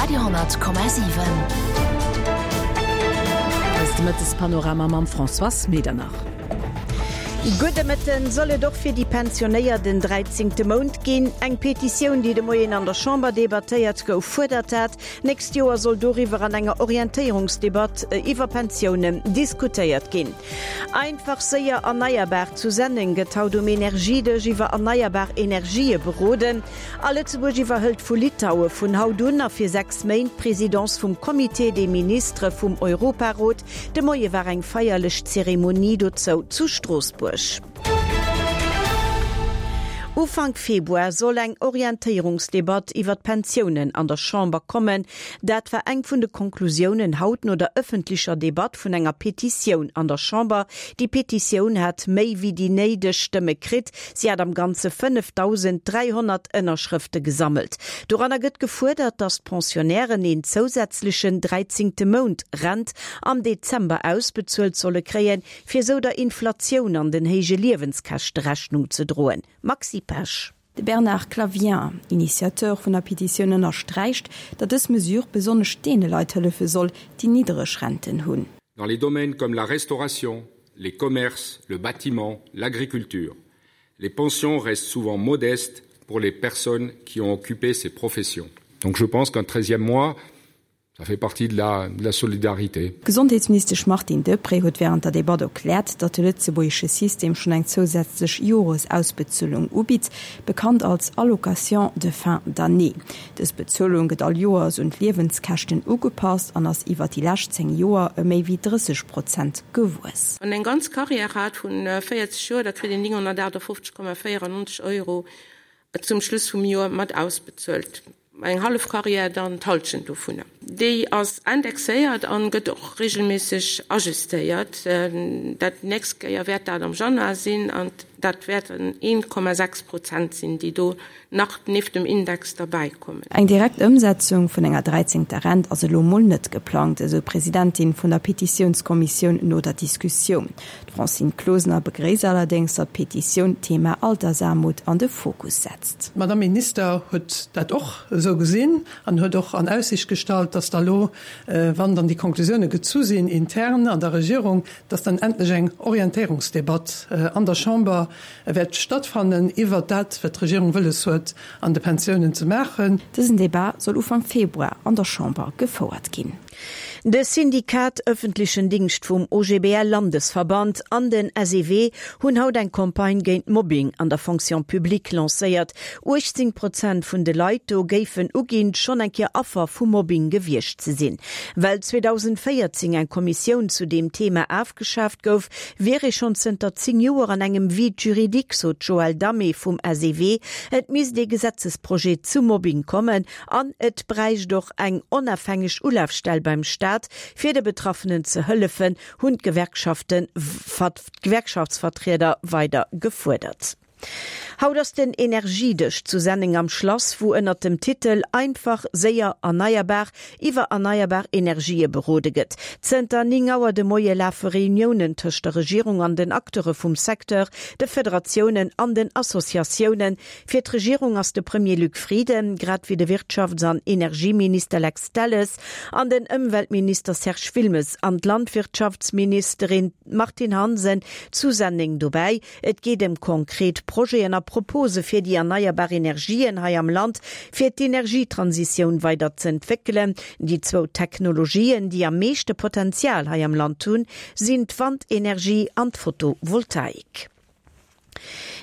Radio 10,7. Eist Mëttespanorama mam Françoise Medernach. Gudde Mëtten. Soll et och fir déi Pensionéiert en dräizéngte Mount ginn? Eng Petitioun, déi de Moien an der Chamber debattéiert gouf, fuerdert dat. Nächst Joer soll doriwwer an enger Orientéierungsdebatt iwwer Pensiounen diskutéiert ginn. Einfach, séier, erneierbar, Zu Senneng gëtt haut um Energiedësch iwwer erneierbar Energië beroden. A Lëtzebuerg iwwerhëlt vu Litaue vun haut un a fir 6 Méint d'Presidence vum Comité des ministres vum Europarot. De Moie war eng feierlech Zeremonie dozou zu Stroossbuerg. Ufank Februar soll eng Orientéierungsdebatt iwwer d'Pensiounen an der Chamber kommen. Dat war eng vun de Konklusiounen haut no der ëffentlecher Debatt vun enger Petitioun an der Chamber. Déi Petitioun hat méi wéi déi néideg Stëmme kritt. Si hat am Ganze 5.300 Ënnerschrëfte gesammelt. Doranner gëtt gefuerdert, datt d'Pensionnairen een zousätzlechen dräizéngte Mount Rent am Dezember ausbezuelt solle kréien, fir esou der Inflatioun an den héije Liewenskäschte Rechnung ze droen. Maxi Pesch. De Bernard Clavien, Initiateur vun der Petitioun, ënnersträicht, datt dës Mesure besonnesch deene Leit hëllefe soll, déi niddereg Renten hunn. Dans les domaines comme la restauration, les commerces, le bâtiment, l'agriculture. Les pensions restent souvent modestes pour les personnes qui ont occupé ces professions. Donc je pense qu'un treizième mois, ça fait partie de la, de la solidarité. D'Gesondheetsministesch Martine Deprez huet wärend der Debatt erkläert, datt de lëtzebuergesche System schonn eng zousätzlech Joresausbezuelung ubitt, bekannt als Allocation de fin d'année. Dës Bezuelung gëtt all Joers un d'Liewenskäschten ugepasst an ass iwwer déi lescht 10 Joer ëm méi wéi 30 Prozent gewuess. Wann een eng ganz Carrière hat vun 40 Joer, da kritt een 958,94 Euro zum Schluss vum Joer mat ausbezuelt. Eng hallef Carrière dann d'Halschent dovunner. Déi ass indexéiert an gëtt och regelméisseg ajustéiert. Dat nächst Kéier wäert dat am Januar sinn an dat wäerten 1,6 Prozent sinn, déi do nach nieft dem Index derbäi kommen. Eng direkt Ëmsetzung vun enger dräizéngter Rent ass elo mol net geplangt, esou d'Presidentin vun der Petitiounskommissioun no der Diskussioun. D'Francine Closener begréisst allerdéngs, datt d'Petitioun d'Thema Altersaarmut an de Fokus setzt. D'Madame Minister huet dat och esou gesinn an huet och an Aussicht gestallt, datt da lo, wann dann déi Konklusioune gezu sinn intern an der Regierung, datt dann endlech eng Orientéierungsdebatt an der Chamber wäert stattfannen iwwert dat, wat d'Regierung wëlles huet an de Pensiounen ze maachen. Dësen Debat soll Ufank Februar an der Chamber gefouert ginn. De Syndikat Öffentlichen Dingscht vum OGBL-Landesverband an den SEW hunn haut eng Campagne géint Mobbing an der Fonction publique lancéiert. 18 Prozent vun de Leit do géifen uginn, schonn eng Kéier Affer vu Mobbing gewiescht ze sinn. Well 2014 eng Kommissioun zu deem Thema afgeschaaft gouf, wier ee schonn zënter 10 Joer an engem Vide juridique, sot d'Joëlle Damé vum SEW. Et misst ee Gesetzesprojet zum Mobbing kommen An et bräicht och eng onafhängeg Ulafstell beim Staat, fir de Betraffenen ze hëllefen, hunn d'Gewerkschaftsvertrieder weider gefuerdert. Haut ass den Energiedësch zu Senneng am Schlass, wou ënnert dem Titel Einfach, séier, erneierbar iwwer erneierbar Energië berode gëtt. Zënter 9 Auer de Moie lafe Reuniounen tëscht der Regierung an den Acteure vum Secteur, de Federatiounen an den Associatiounen. Fir d'Regierung ass de Premier Luc Frieden, grad wéi de Wirtschafts an Energieminister Lex Delles an den Ëmweltminister Serge Wilmes an d'Landwirtschaftsministerin Martine Hansen zu Senneng dobäi. Et geet ëm konkret Projeten a Propose fir déi erneierbar Energien hei am Land, fir d'Energietransitioun weider z'entwéckelen. Déi zwou Technologien, déi am meeschte Potenzial hei am Land hunn, sinn d'Wandenergie an d'Photovoltaik.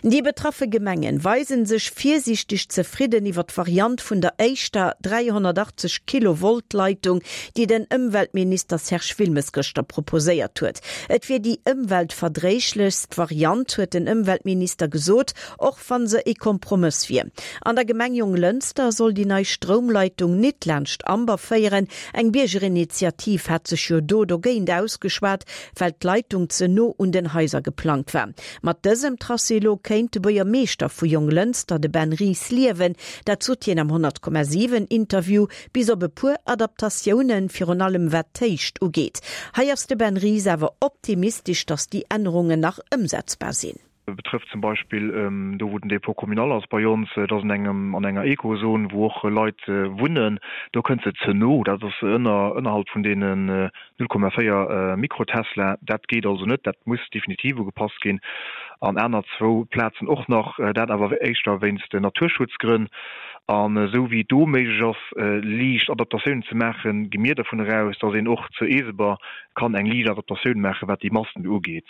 Déi betraffe Gemengen weisen sech virsiichteg zefridden iwwer d'Variant vun der éischter 380 Kilovolt Leitung, déi den Ëmweltminister Serge Wilmes gëschter proposéiert huet. Et wier déi ëmweltverdréiglechst Variant, huet den Ëmweltminister gesot, och wann se e Kompromëss wier. An der Gemeng Jonglënster soll déi nei Stroumleitung nit laanscht Amber féieren. Eng Biergerinitiativ hat sech jo do dogéint ausgeschwat, well d'Leitung ze no un den Haiser geplangt war. Mat dësem Tracé elo kéint de Buergermeeschter vu Jonglënster, de Ben Ries, liewen. Dat sot hien am 100,7 Interview, bis op e puer Adaptatiounen, virun allem wat d'Héicht ugeet. Hei ass de Ben Ries awer optimistesch, datt déi Ännerungen nach ëmsetzbar sinn. Betrëfft zum Beispill do wou den Dépôt communal ass bei ons, dat ass an engem an enger Ekozon wou och Leit wunnen, do kënnt se ze no, dat ass ënner ënnerhalb vun deenen 0,4 Mikrotesla, dat geet also net, dat muss definitiv ugepasst ginn. An aner zwou Plazen och nach, dat awer éischter wéinst Naturschutzgrënn. An esou wéi et do méiglech ass liicht Adaptatiounen ze maachen, gi mir dervun eraus, datt een och zu Eeseber kann eng liicht Adaptatioun maachen, wat déi Masten ugeet.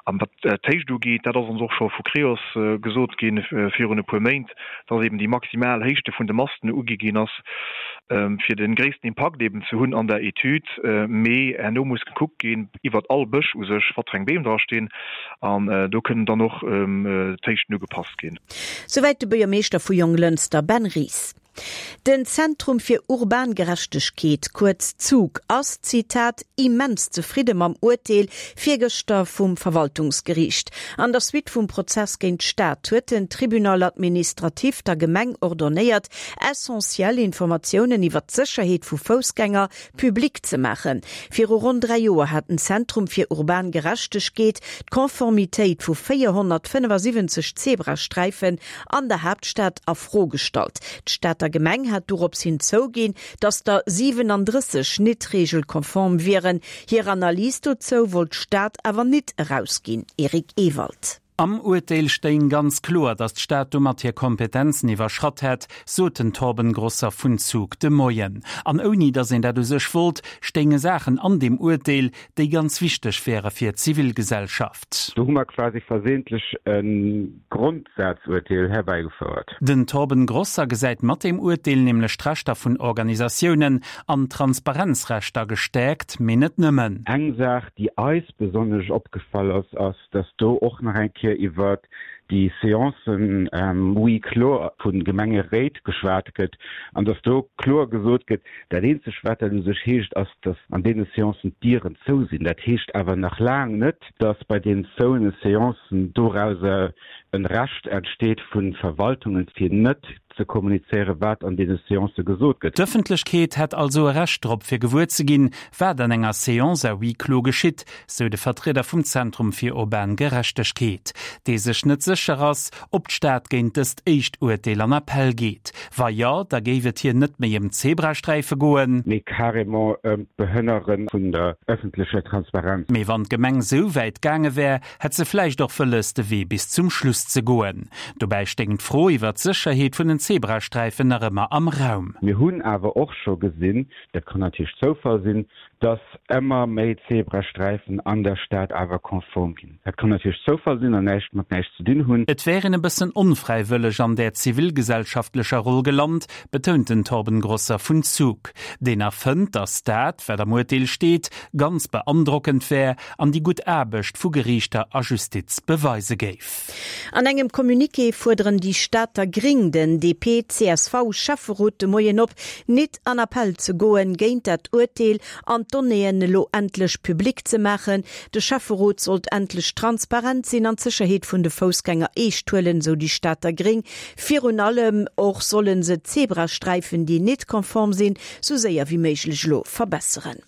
An wat d'Héicht ugeet, dat ass ons och scho vu Creos gesot ginn virun e puer Méint, dass eben déi maximal Héichte vun de Masten ugi ginn ass, fir de gréissten Impakt eben ze hunn an der Etüd. Mee herno muss gekuckt ginn iwwert all Bësch u sech, wat fir eng Beem dra stinn, an do kënnen dann och d'Héichten ugepasst ginn. Souwäit de Buergermeeschter vu Jonglënster, Ben Ries. Den Zentrum fir urban Gerechtegkeet, kuerz ZUG, ass, Zitat, immens zefridde mam Urteel virgëschter vum Verwaltungsgeriicht. An der Suite vum Prozess géint d'Stad huet den Tribunal administratif der Gemeng ordonnéiert, essentiell Informatiounen iwwer d'Sécherheet vu Foussgänger public ze maachen. Viru ronn 3 Joer hat den Zentrum fir urban Gerechtegkeet d'Konformitéit vu 475 Zebrasträifen an der Haaptstad a Fro gestallt. D'Stater Gemeng hat dorops hin zouginn, datt der 37 nit regelkonform wieren. Hir Analys dozou wollt d'Stad awer nit erausginn. Eric Ewald. Am Urteel stéing ganz kloer, datt d'Stad domat hir Kompetenzen iwwerschratt hätt, sot den Torben Grosser vun Zug de Moien. An ouni datt een dat u sech wollt, stéinge Saachen an deem Urteel, déi ganz wichteg wäre fir d'Zivilgesellschaft. Do hu mer quasi versehentlich e Grondsazurteel herbäigefouert. Den Torben Grosser gesäit mat deem Urteel nämlech d'Rechter vun Organisatiounen an d'Transparenzrechter gestäerkt, mee net nëmmen. Eng Saach, déi eis besonnesch opgefall ass, ass, dass do och nach eng Kéier iwwert déi Séancen huis clos vu Gemengeréit geschwat gëtt an dass do kloer gesot gëtt, Dat eenzeg, wat dat u sech heescht, ass, dass an deene Séancen d'Dieren zou sinn. Dat heescht awer nach laang net, dass bei deenen zouene Séancen dorauser e Recht entsteet vu Verwaltungen, fir net ze kommunizéieren, wat an deene Séancë gesot gëtt. D'Ëffentlechkeet hätt also e Recht drop, fir gewuer ze ginn, wat an enger Séance à huis clos geschitt, sou de Vertrieder vum Zentrum fir urban Gerechtegkeet, dee sech net sécher ass, ob d'Stad géint dëst éischt Urteel an Appell geet. Wa jo, da géif et hir net méi ëm d'Zebrasträife goen. Mee carrément ëm d'Behënnere vun der ëffentlecher Transparenz. Mee wann d'Gemeng sou wäit gaange wär, hätt se vläicht och wëlles, de Wee bis zum Schluss ze goen. Dobäi stéing d'Fro iwwer d'Sécherheet vun den Zebrasträifen nach ëmmer am Raum. Mir hunn awer och scho gesinn, dat kann natierlech Zoufall sinn, dass ëmmer méi Zebrasträifen an der Stad awer konform ginn. Dat kann natierlech Zoufall sinn an näischt mat näischt ze dinn hunn. Et wär een e bëssen onfräiwëlleg an där zivilgesellschaftlecher Roll gelant, betount den Torben Grosser vun Zug, deen nach fënnt, datt dat, wat am Urteel steet, ganz beandrockend wär an déi gutt Aarbecht vu Geriichter a Justiz beweise géif. An engem Communiqué fuerderen déi Stater Gring den DP-CSV-Schäfferot de Moien op, nit an Appell ze goen géint dat Urteel an d'Donnéeën elo endlech public ze maachen. De Schäfferot sollt endlech transparent sinn an d'Sécherheet vun de Foussgänger eescht huelen, sou déi Stater Gring. Virun allem och solle se d'Zebrasträifen, déi nit konform sinn, sou séier wéi méiglech elo verbesseren.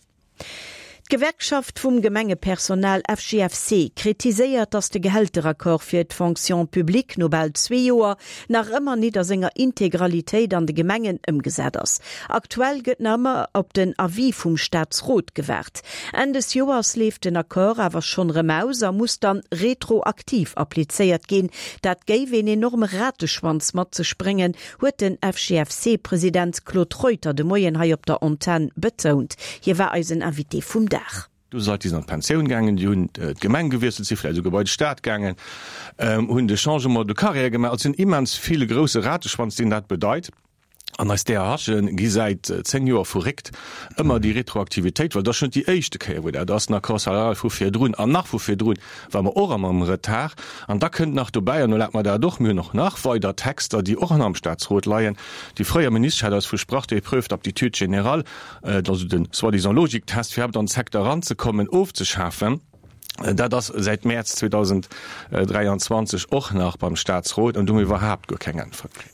D'Gewerkschaft vum Gemengepersonal FGFC kritiséiert, datt de Gehälteraccord fir d'Fonction publique no bal zwee Joer nach ëmmer nit a senger Integralitéit an de Gemengen ëmgesat ass. Aktuell gëtt nach ëmmer op den Avis vum Staatsrot gewaart. Enn des Joers leeft den Accord awer schonn erëm aus a muss dann retroaktiv applizéiert ginn. Dat géif een enorme Rateschwanz mat sech bréngen, huet den FGFC-President Claude Reuter de Moien hei op der Antenn betount. Hie war eisen Invité vum Dag. Do si Leit, déi sinn an d'Pensioun gaangen, déi hunn d'Gemeng gewiesselt, si vläicht esouguer bei de Staat gaangen, hunn de Changement de carrière gemaach. Also et sinn immens vill, e grousse Rateschwanz, deen dat bedeit. An eis DRHe gi säit 10 Joer verréckt ëmmer déi Retroaktivitéit, well dat ass schonn net déi éischte Kéier, wou dat ass, den Accord salarial vu virdrun an nach vu virdrun ware mer och ëmmer am Retard. An da kënnt nach dobäi, an erlaabt mer dat och, mir hunn och nach weider Texter, déi och am Statsrot leien. Déi fréier Ministesch hat eis versprach, déi Épreuve d'aptitude générale, also de soi-disant Logiktest, fir iwwerhaapt an de Secteur eranzekommen, ofzeschafen. Dat ass säit Mäerz 2023 och nach beim Statsrot, an do hu mir iwwerhaapt guer keng Äntwert kritt.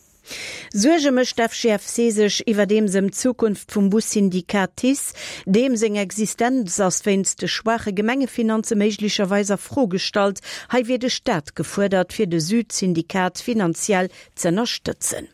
Suerge mécht d'FGFC sech iwwerdeems ëm d'Zukunft vum Bussyndikat TICE. Deem seng Existenz ass wéinst de schwaache Gemengefinanze méiglecherweis a Fro gestallt. Hei wier de Staat gefuerdert, fir de Süd-Syndikat finanziell z'ënnerstëtzen.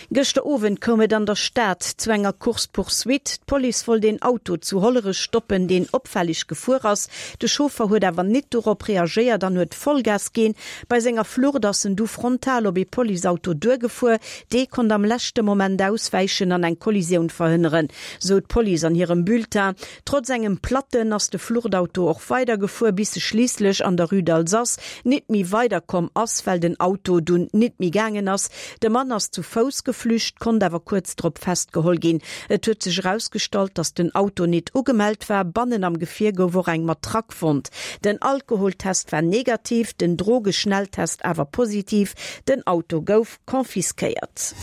Gëschter Owend koum et an der Stad zu enger Course-poursuite. D'Police wollt een Auto zu Hollerech stoppen, deen opfälleg gefuer ass. De Chauffer huet awer nit dorop reagéiert an huet Vollgas ginn. Bei senger Flucht ass en du frontal op ee Policeauto duergefuer. Dee konnt am leschte Moment auswäichen an eng Kollisioun verhënneren, sou d'Police an hirem Bulletin. Trotz engem Platten ass de Fluchtauto och weidergefuer, bis e schliisslech an der Rue d'Alsace nit méi weiderkomm ass, well den Auto dunn nit méi gaangen ass. De Mann ass zu Fouss geflücht, konnt awer kuerz drop festgeholl ginn. Et huet sech erausgestallt, datt den Auto nit ugemellt war. Bannen am Gefier gouf och eng Matraque fonnt. Den Alkoholtest war negativ, den Drogeschnelltest awer positiv. Den Auto gouf confisquéiert.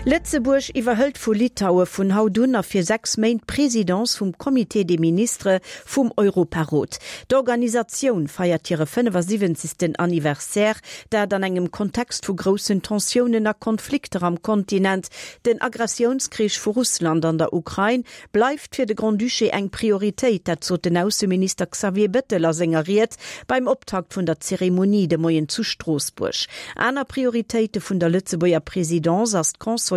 Lëtzebuerg iwwerhëlt vu Litaue vun haut un a fir 6 Méint d'Presidence vum Comité des ministres vum Europarot. D'Organisatioun feiert hire 75. Anniversaire, dat an engem Kontext vu groussen Tensiounen a Konflikter am Kontinent. Den Agressiounskrich vu Russland an der Ukrain bleift fir de Grand-Duché eng Prioritéit, dat sot den Ausseminister Xavier Bettel a senger Ried beim Optakt vun der Zeremonie de Moien zu Stroossbuerg. Aner Prioritéite vun der Lëtzebuerger Presidence ass d'Consolidéierung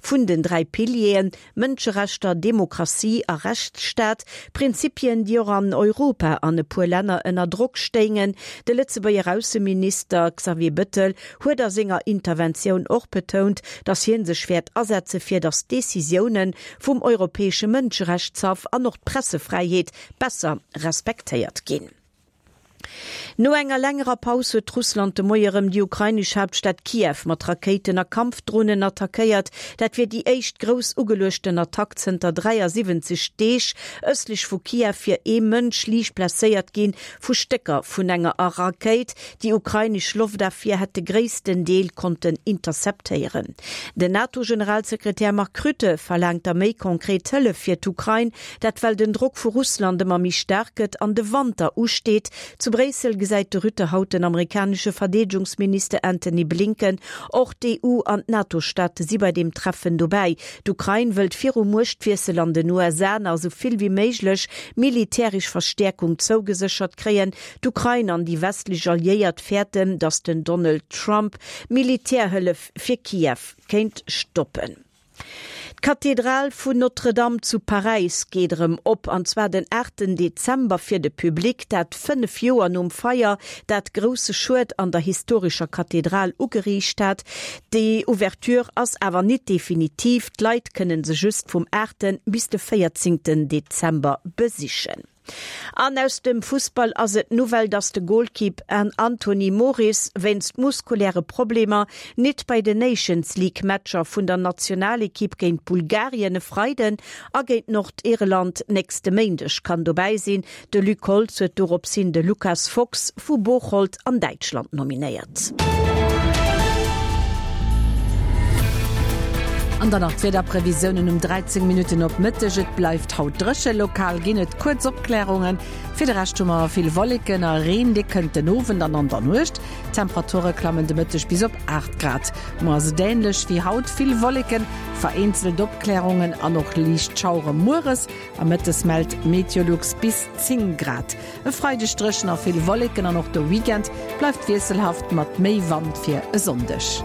vun den 3 Pilieren, Mënscherechter, Demokratie a Rechtsstaat, Prinzipien, déi och an Europa an e puer Länner ënner Drock stéingen. De Lëtzebuerger Ausseminister Xavier Bettel huet a senger Interventioun och betount, datt hie sech wäert asetze fir datt d'Decisioune vum Europäesche Mënscherechtshaff an och d'Pressefräiheet besser respektéiert ginn. No enger längerer Paus huet Russland de Moie rëm déi ukrainesch Haaptstad Kiew mat Rakéiten a Kampfdronen attackéiert. Dat wier déi éischt grouss ugeluechten Attack zënter 73 Deeg. Ëstlech vu Kiew wier ee Mënsch liicht blesséiert ginn vu Stécker vun enger Rakéit. Déi ukrainesch Loftafwier hätt de gréissten Deel konnten interceptéieren. Den NATO-Generalsekretär Mark Rutte verlaangt da méi konkret Hëllef fir d'Ukrain. Dat well den Drock vu Russland ëmmer méi staark gëtt an de Wanter usteet. Zu Bréissel gesäit de Rutte haut den amerikanesche Verdeedegungsminister Antony Blinken. Och d'EU an d'NATO-Staate si bei deem Treffen dobäi. D'Ukrain wëllt virum Muechtwiessel an den USA nach esou vill wéi méiglech militäresch Verstäerkung zougeséchert kréien. D'Ukrain an déi westlech Alliéiert fäerten, datt den Donald Trump Militärhëllef fir Kiew kéint stoppen. D'Kathedral vun Notre-Dame zu Paräis geet erëm op, an zwar den aachten Dezember fir de Public, dat 5 Joer nom Feier, dat grousse Schued an der historescher Kathedral ugeriicht hat. Déi Ouverture ass awer nit definitiv, d'Leit kënne se just vum aachten bis de véierzéngten Dezember besichen. An aus dem Fussball ass et d'Nouvelle, dass de Golkipp Anthony Moris wéinst muskuläre Problemer nit bei den Nations League Matcher vun der Nationalekipp géint Bulgarien e Freiden a géint Nordirland nächste Méindeg kann dobäi sinn. De Luc Holtz huet dorops hin de Lucas Fox vu Bocholt an Däitschland nominéiert. An dann nach d'Wiederprevisiounen um 13 Minutten op Mëtteg, Et bleift haut dréche, lokal ginn et kuerz Opklärungen. Fir de Rescht hu mer vill Wolleken a Reen, dee kënnt den Owend an an der Nuecht. D'Temperature klammen de Mëtteg bis op 8 Grad. Muer ass et änlech wéi haut, vill Wolleken, vereenzelt Opklärungen an och liicht Schauere mueres a mëttes mellt Meteolux bis 10 Grad. E Freideg dréchen a vill Wolleken an och de Weekend bleift wiesselhaft mat méi Wand fir e Sonndeg.